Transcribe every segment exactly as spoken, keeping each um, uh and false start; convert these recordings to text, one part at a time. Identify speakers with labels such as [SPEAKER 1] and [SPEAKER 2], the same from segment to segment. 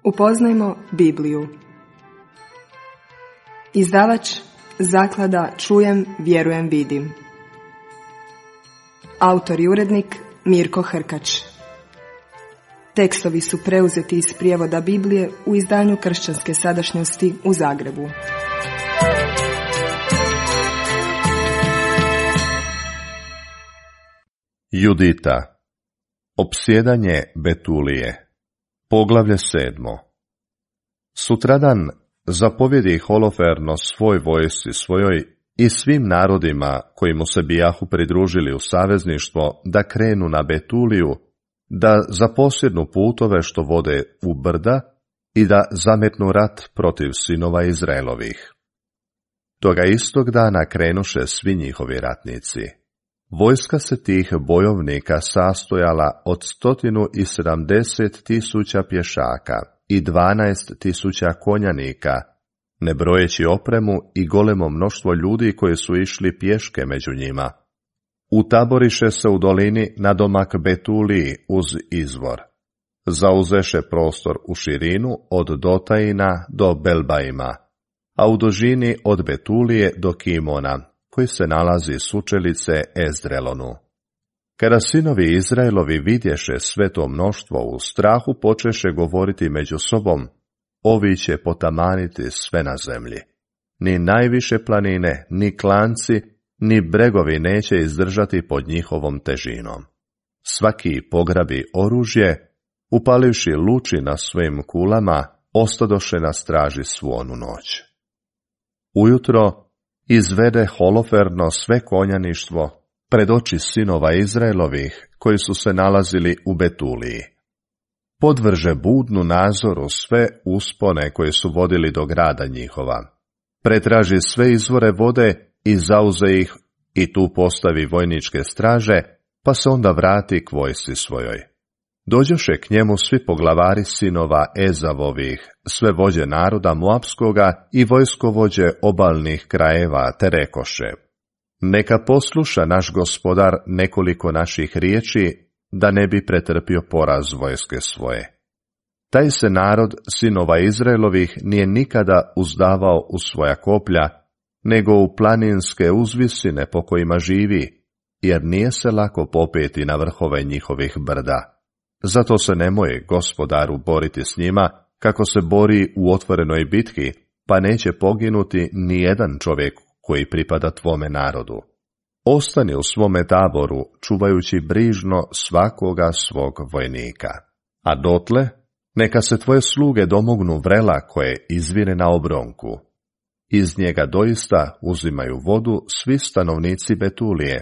[SPEAKER 1] Upoznajmo Bibliju. Izdavač Zaklada Čujem, vjerujem, vidim. Autor i urednik Mirko Hrkač. Tekstovi su preuzeti iz prijevoda Biblije u izdanju Kršćanske sadašnjosti u Zagrebu.
[SPEAKER 2] Judita. Opsjedanje Betulije. Poglavlje sedmo. Sutradan zapovjedi Holoferno svoj vojsci svojoj i svim narodima koji mu se bijahu pridružili u savezništvo da krenu na Betuliju, da zaposjednu putove što vode u brda i da zametnu rat protiv sinova Izraelovih. Toga istog dana krenuše svi njihovi ratnici. Vojska se tih bojovnika sastojala od stotinu i sedamdeset tisuća pješaka i dvanaest tisuća konjanika, ne brojeći opremu i golemo mnoštvo ljudi koji su išli pješke među njima. Utaboriše se u dolini nadomak Betuliji uz izvor. Zauzeše prostor u širinu od Dotajina do Belbaima, a u dužini od Betulije do Kimona, koji se nalazi sučelice Ezdrelonu. Kada sinovi Izraelovi vidješe sve to mnoštvo, u strahu počeše govoriti među sobom: ovi će potamaniti sve na zemlji. Ni najviše planine, ni klanci, ni bregovi neće izdržati pod njihovom težinom. Svaki pograbi oružje, upalivši luči na svojim kulama, ostadoše na straži svu onu noć. Ujutro izvede Holoferno sve konjaništvo pred oči sinova Izraelovih koji su se nalazili u Betuliji. Podvrže budnu nazoru sve uspone koje su vodili do grada njihova. Pretraži sve izvore vode i zauze ih i tu postavi vojničke straže, pa se onda vrati k vojsci svojoj. Dođoše k njemu svi poglavari sinova Ezavovih, sve vođe naroda Moapskoga i vojskovođe obalnih krajeva, te rekoše: neka posluša naš gospodar nekoliko naših riječi, da ne bi pretrpio poraz vojske svoje. Taj se narod sinova Izraelovih nije nikada uzdavao u svoja koplja, nego u planinske uzvisine po kojima živi, jer nije se lako popeti na vrhove njihovih brda. Zato se nemoj, gospodaru, boriti s njima, kako se bori u otvorenoj bitki, pa neće poginuti ni jedan čovjek koji pripada tvome narodu. Ostani u svome taboru, čuvajući brižno svakoga svog vojnika. A dotle, neka se tvoje sluge domognu vrela koje izvire na obronku. Iz njega doista uzimaju vodu svi stanovnici Betulije.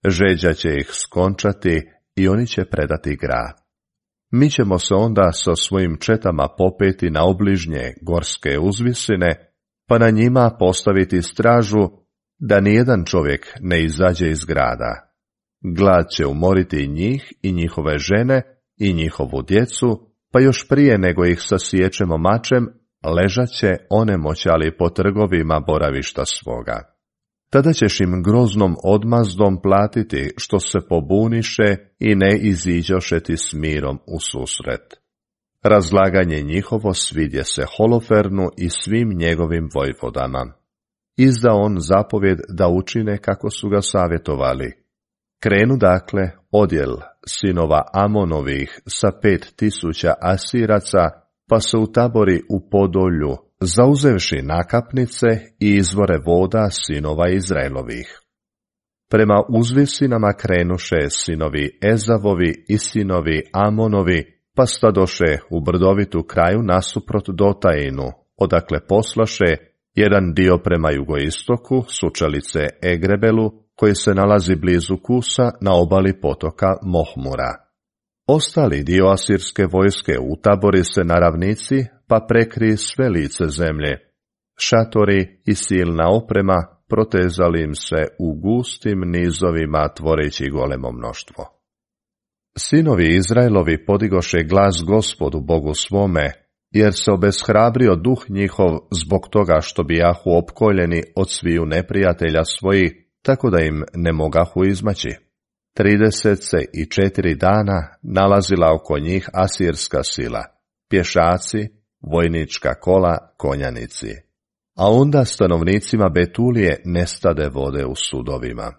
[SPEAKER 2] Žeđa će ih skončati i oni će predati grad. Mi ćemo se onda sa svojim četama popeti na obližnje gorske uzvisine, pa na njima postaviti stražu, da nijedan čovjek ne izađe iz grada. Glad će umoriti njih i njihove žene i njihovu djecu, pa još prije nego ih sasiječemo mačem, ležat će onemoćali po trgovima boravišta svoga. Tada ćeš im groznom odmazdom platiti što se pobuniše i ne iziđoše ti s mirom u susret. Razlaganje njihovo svidje se Holofernu i svim njegovim vojvodama. Izda on zapovjed da učine kako su ga savjetovali. Krenu dakle odjel sinova Amonovih sa pet tisuća Asiraca, pa se utabori u Podolju, zauzevši nakapnice i izvore voda sinova Izraelovih. Prema uzvisinama krenuše sinovi Ezavovi i sinovi Amonovi, pa stadoše u brdovitu kraju nasuprot Dotajinu, odakle poslaše jedan dio prema jugoistoku, sučelice Egrebelu, koji se nalazi blizu Kusa na obali potoka Mohmura. Ostali dio asirske vojske utabori se na ravnici, pa prekri sve lice zemlje. Šatori i silna oprema protezali im se u gustim nizovima, tvoreći golemo mnoštvo. Sinovi Izraelovi podigoše glas Gospodu Bogu svome, jer se obeshrabrio duh njihov zbog toga što bijahu opkoljeni od sviju neprijatelja svojih, tako da im ne mogahu izmaći. Trideset se i četiri dana nalazila oko njih asirska sila, pješaci vojnička kola konjanici. A onda stanovnicima Betulije nestade vode u sudovima,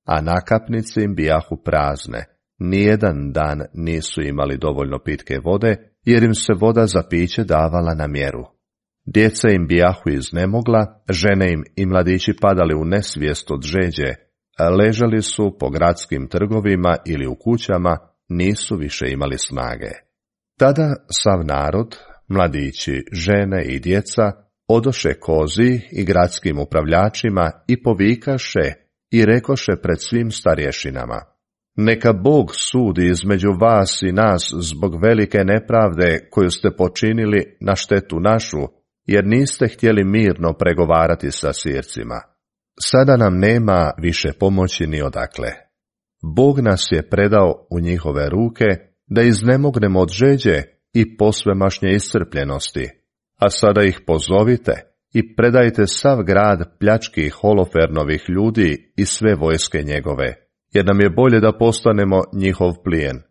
[SPEAKER 2] a nakapnice im bijahu prazne, nijedan dan nisu imali dovoljno pitke vode, jer im se voda za piće davala na mjeru. Djeca im bijahu iznemogla, žene im i mladići padali u nesvijest od žeđe, a ležali su po gradskim trgovima ili u kućama, nisu više imali snage. Tada sav narod, mladići, žene i djeca, odoše kozi i gradskim upravljačima i povikaše i rekoše pred svim starješinama: neka Bog sudi između vas i nas zbog velike nepravde koju ste počinili na štetu našu, jer niste htjeli mirno pregovarati sa Sircima. Sada nam nema više pomoći ni odakle. Bog nas je predao u njihove ruke da iznemognemo od žeđe i posvemašnje iscrpljenosti, a sada ih pozovite i predajte sav grad pljački Holofernovih ljudi i sve vojske njegove, jer nam je bolje da postanemo njihov plijen.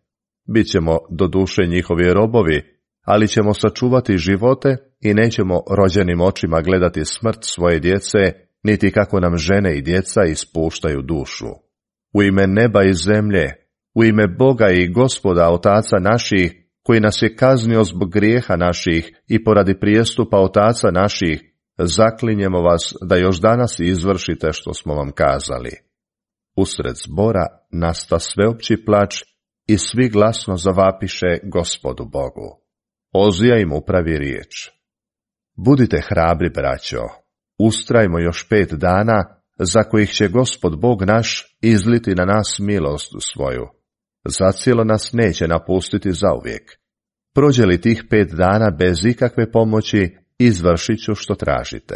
[SPEAKER 2] Bićemo do duše njihovi robovi, ali ćemo sačuvati živote i nećemo rođenim očima gledati smrt svoje djece, niti kako nam žene i djeca ispuštaju dušu. U ime neba i zemlje, u ime Boga i Gospoda otaca naših, koji nas je kaznio zbog grijeha naših i poradi prijestupa otaca naših, zaklinjemo vas da još danas izvršite što smo vam kazali. Usred zbora nasta sveopći plač i svi glasno zavapiše Gospodu Bogu. Ozija im upravi riječ: budite hrabri, braćo, ustrajmo još pet dana, za kojih će Gospod Bog naš izliti na nas milost svoju. Zacijelo nas neće napustiti zauvijek. Prođe li tih pet dana bez ikakve pomoći, izvršit ću što tražite.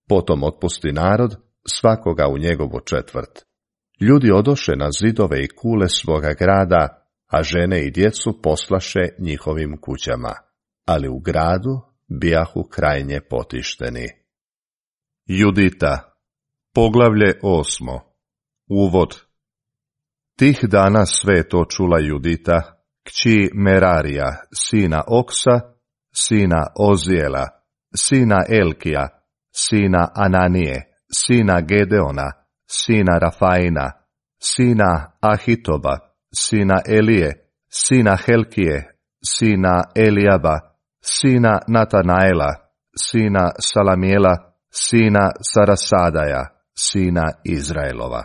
[SPEAKER 2] Potom otpusti narod, svakoga u njegovu četvrt. Ljudi odoše na zidove i kule svoga grada, a žene i djecu poslaše njihovim kućama, ali u gradu bijahu krajnje potišteni. Judita, poglavlje osmo. Uvod. Tih dana sve to čula Judita, kći Merarija, sina Oksa, sina Ozijela, sina Elkija, sina Ananije, sina Gedeona, sina Rafaina, sina Ahitoba, sina Elije, sina Helkije, sina Elijaba, sina Natanaela, sina Salamijela, sina Sarasadaja, sina Izraelova.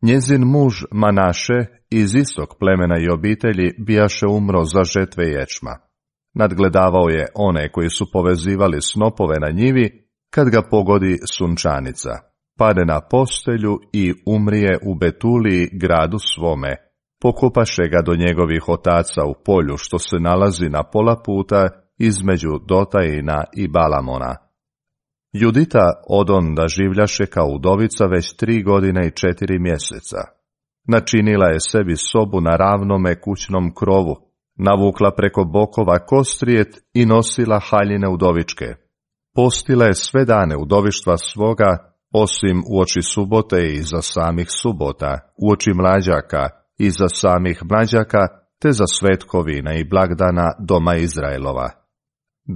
[SPEAKER 2] Njezin muž Manaše iz istog plemena i obitelji bijaše umro za žetve ječma. Nadgledavao je one koji su povezivali snopove na njivi, kad ga pogodi sunčanica. Pade na postelju i umrije u Betuliji, gradu svome. Pokopaše ga do njegovih otaca u polju što se nalazi na pola puta između Dotajina i Balamona. Judita odonda življaše kao udovica već tri godine i četiri mjeseca. Načinila je sebi sobu na ravnome kućnom krovu, navukla preko bokova kostrijet i nosila haljine udovičke. Postila je sve dane udovištva svoga, osim uoči subote i za samih subota, uoči mlađaka i za samih mlađaka, te za svetkovina i blagdana doma Izraelova.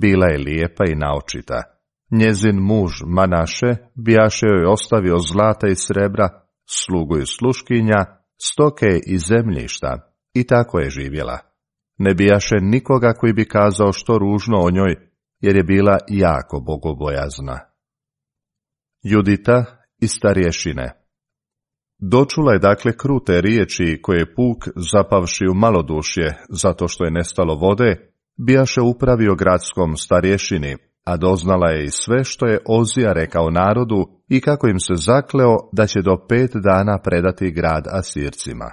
[SPEAKER 2] Bila je lijepa i naočita. Njezin muž Manaše bijaše joj ostavio zlata i srebra, slugu i sluškinja, stoke i zemljišta, i tako je živjela. Ne bijaše nikoga koji bi kazao što ružno o njoj, jer je bila jako bogobojazna. Judita i starješine. Dočula je dakle krute riječi koje je puk, zapavši u malodušje zato što je nestalo vode, bijaše upravio gradskom starješini, a doznala je i sve što je Ozija rekao narodu i kako im se zakleo da će do pet dana predati grad Asircima.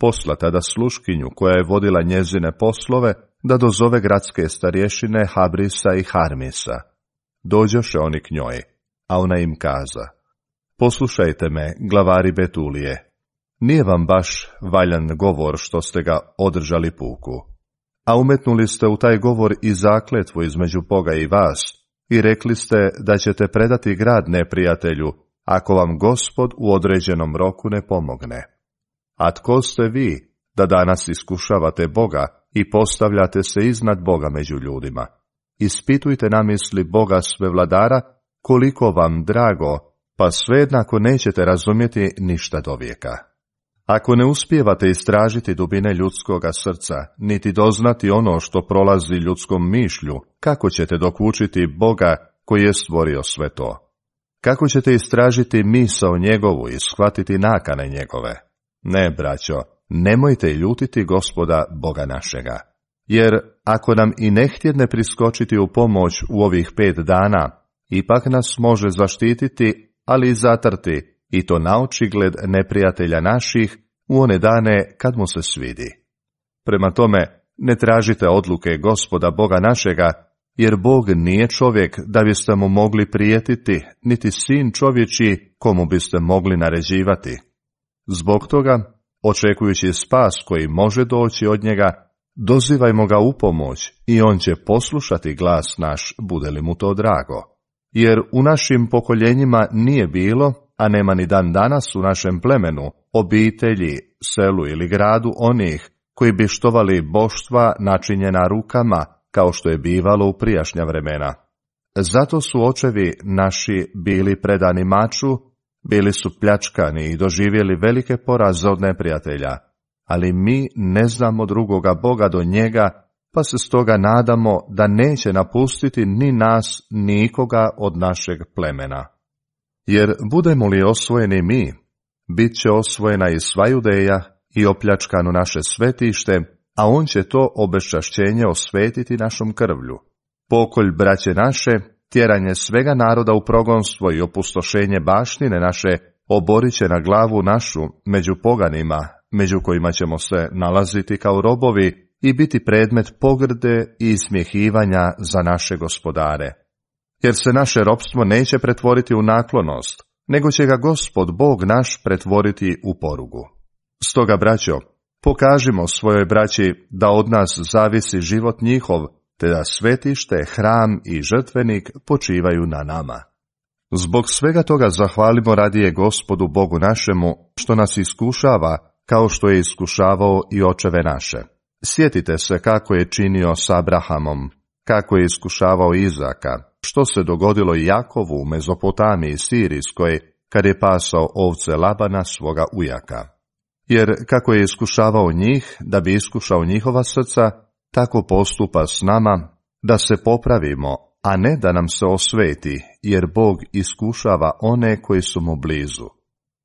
[SPEAKER 2] Posla tada sluškinju koja je vodila njezine poslove da dozove gradske starješine Habrisa i Harmisa. Dođoše oni k njoj, a ona im kaza: poslušajte me, glavari Betulije, nije vam baš valjan govor što ste ga održali puku. A umetnuli ste u taj govor i zakletvu između Boga i vas, i rekli ste da ćete predati grad neprijatelju, ako vam Gospod u određenom roku ne pomogne. A tko ste vi, da danas iskušavate Boga i postavljate se iznad Boga među ljudima? ispitujte namisli Boga Svevladara, koliko vam drago, pa svejednako nećete razumjeti ništa dovijeka. Ako ne uspijevate istražiti dubine ljudskoga srca, niti doznati ono što prolazi ljudskom mišlju, kako ćete dokučiti Boga koji je stvorio sve to? Kako ćete istražiti misao njegovu i shvatiti nakane njegove? Ne, braćo, nemojte ljutiti Gospoda Boga našega. Jer ako nam i ne htjedne priskočiti u pomoć u ovih pet dana, ipak nas može zaštititi, ali i zatrti, i to naočigled neprijatelja naših u one dane kad mu se svidi. Prema tome, ne tražite odluke Gospoda Boga našega, jer Bog nije čovjek da biste mu mogli prijetiti, niti sin čovječji komu biste mogli naređivati. Zbog toga, očekujući spas koji može doći od njega, dozivajmo ga u pomoć i on će poslušati glas naš, bude li mu to drago. Jer u našim pokoljenjima nije bilo, a nema ni dan danas u našem plemenu, obitelji, selu ili gradu onih koji bi štovali boštva načinjena rukama, kao što je bivalo u prijašnja vremena. Zato su očevi naši bili predani maču, bili su pljačkani i doživjeli velike poraze od neprijatelja, ali mi ne znamo drugoga Boga do njega, pa se stoga nadamo da neće napustiti ni nas, nikoga od našeg plemena. Jer budemo li osvojeni mi, bit će osvojena i sva Judeja i opljačkano naše svetište, a on će to obeščašćenje osvetiti našom krvlju. Pokolj braće naše, tjeranje svega naroda u progonstvo i opustošenje baštine naše oborit će na glavu našu među poganima, među kojima ćemo se nalaziti kao robovi i biti predmet pogrde i ismjehivanja za naše gospodare. Jer se naše ropstvo neće pretvoriti u naklonost, nego će ga Gospod Bog naš pretvoriti u porugu. Stoga, braćo, pokažimo svojoj braći da od nas zavisi život njihov, te da svetište, hram i žrtvenik počivaju na nama. Zbog svega toga zahvalimo radije Gospodu Bogu našemu, što nas iskušava, kao što je iskušavao i očeve naše. Sjetite se kako je činio s Abrahamom, kako je iskušavao Izaka, što se dogodilo i Jakovu u Mezopotamiji Sirijskoj, kad je pasao ovce Labana svoga ujaka. Jer kako je iskušavao njih, da bi iskušao njihova srca, tako postupa s nama, da se popravimo, a ne da nam se osveti, jer Bog iskušava one koji su mu blizu.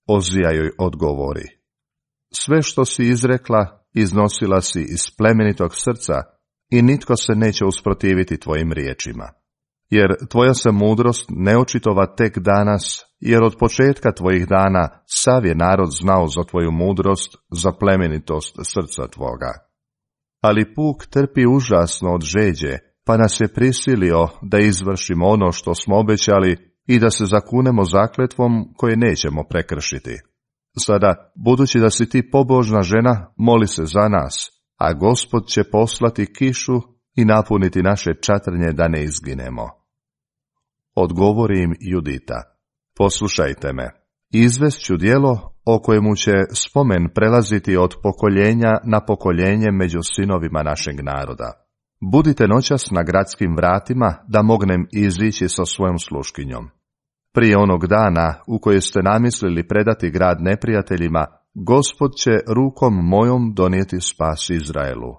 [SPEAKER 2] Ozija joj odgovori: sve što si izrekla, iznosila si iz plemenitog srca i nitko se neće usprotiviti tvojim riječima. Jer tvoja se mudrost ne očitova tek danas, jer od početka tvojih dana sav je narod znao za tvoju mudrost, za plemenitost srca tvoga. Ali puk trpi užasno od žeđe, pa nas je prisilio da izvršimo ono što smo obećali i da se zakunemo zakletvom koje nećemo prekršiti. Sada, budući da si ti pobožna žena, moli se za nas, a Gospod će poslati kišu i napuniti naše čatrnje da ne izginemo. Odgovori im Judita: poslušajte me, izvest ću djelo o kojemu će spomen prelaziti od pokoljenja na pokoljenje među sinovima našeg naroda. Budite noćas na gradskim vratima, da mognem izići sa svojom sluškinjom. Prije onog dana u koje ste namislili predati grad neprijateljima, Gospod će rukom mojom donijeti spas Izraelu.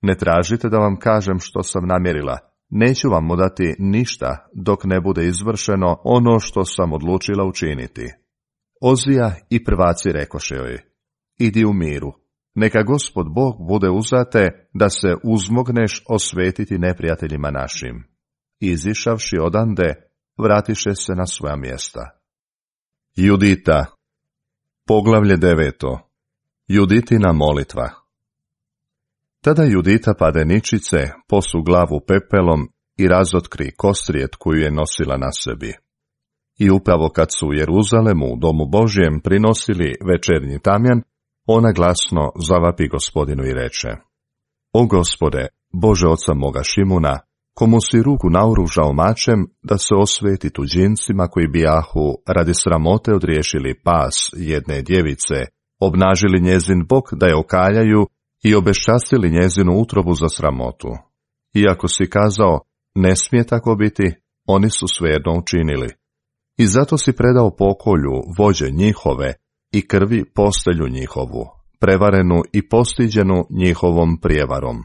[SPEAKER 2] Ne tražite da vam kažem što sam namjerila, neću vam mu dati ništa dok ne bude izvršeno ono što sam odlučila učiniti. Ozija i prvaci rekoše joj: idi u miru, neka Gospod Bog bude uzate da se uzmogneš osvetiti neprijateljima našim. Izišavši odande, vratiše se na svoja mjesta. Judita, poglavlje deveto. Juditina molitva. Tada Judita pade ničice, posu glavu pepelom i razotkri kostrijet koju je nosila na sebi. I upravo kad su u Jeruzalemu u domu Božjem prinosili večernji tamjan, ona glasno zavapi Gospodinu i reče: o Gospode, Bože oca moga Šimuna, komu si ruku naoružao mačem da se osveti tuđincima koji bijahu radi sramote odriješili pas jedne djevice, obnažili njezin bok da je okaljaju i obeščastili njezinu utrobu za sramotu. Iako si kazao: ne smije tako biti, oni su svejedno učinili. I zato si predao pokolju vođe njihove i krvi postelju njihovu, prevarenu i postiđenu njihovom prijevarom.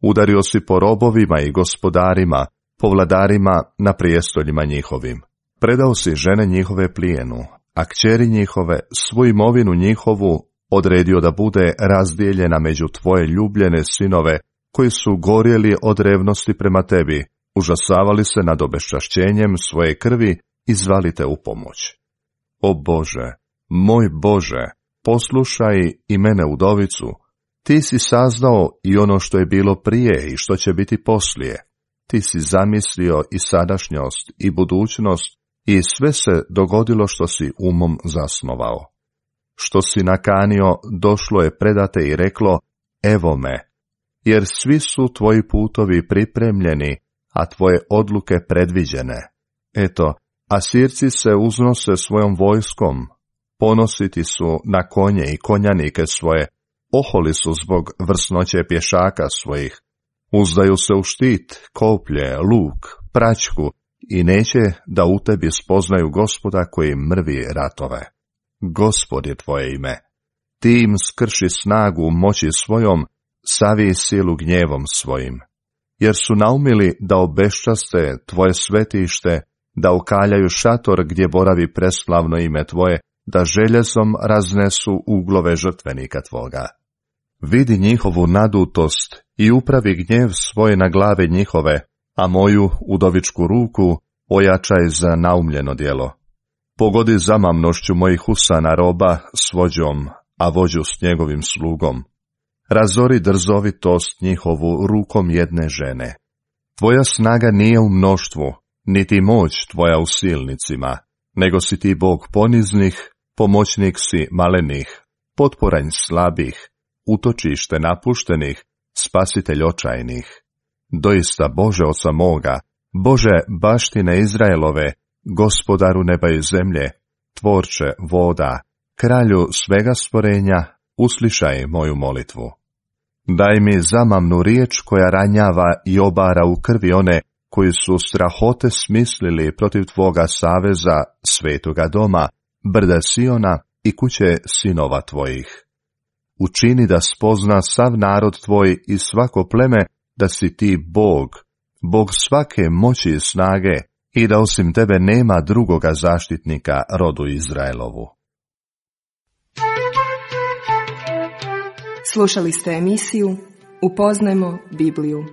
[SPEAKER 2] Udario si po robovima i gospodarima, po vladarima na prijestoljima njihovim. Predao si žene njihove plijenu, a kćeri njihove svu imovinu njihovu odredio da bude razdijeljena među tvoje ljubljene sinove, koji su gorjeli od revnosti prema tebi, užasavali se nad obeščašćenjem svoje krvi i zvali te u pomoć. O Bože, moj Bože, poslušaj i mene udovicu, ti si saznao i ono što je bilo prije i što će biti poslije. Ti si zamislio i sadašnjost i budućnost i sve se dogodilo što si umom zasnovao. Što si nakanio, došlo je predate i reklo, evo me, jer svi su tvoji putovi pripremljeni, a tvoje odluke predviđene. Eto, Asirci se uznose svojom vojskom, ponositi su na konje i konjanike svoje, oholi su zbog vrsnoće pješaka svojih, uzdaju se u štit, koplje, luk, praćku i neće da u tebi spoznaju Gospoda koji mrvi ratove. Gospod je tvoje ime. Ti im skrši snagu moći svojom, savij silu gnjevom svojim. Jer su naumili da obeščaste tvoje svetište, da ukaljaju šator gdje boravi preslavno ime tvoje, da željezom raznesu uglove žrtvenika tvoga. Vidi njihovu nadutost i upravi gnjev svoj na glave njihove, a moju udovičku ruku ojačaj za naumljeno djelo. Pogodi zamamnošću mojih usana roba s vođom, a vođu s njegovim slugom. Razori drzovitost njihovu rukom jedne žene. Tvoja snaga nije u mnoštvu, niti moć tvoja u silnicima, nego si ti Bog poniznih, pomoćnik si malenih, potporanj slabih, utočište napuštenih, spasitelj očajnih. Doista Bože oca moga, Bože baštine Izraelove, Gospodaru neba i zemlje, tvorče voda, kralju svega stvorenja, uslišaj moju molitvu. Daj mi zamamnu riječ koja ranjava i obara u krvi one koji su strahote smislili protiv tvoga saveza, svetoga doma, brda Siona i kuće sinova tvojih. Učini da spozna sav narod tvoj i svako pleme da si ti Bog, Bog svake moći i snage, i da osim tebe nema drugoga zaštitnika rodu Izraelovu.
[SPEAKER 1] Slušali ste emisiju Upoznajmo Bibliju.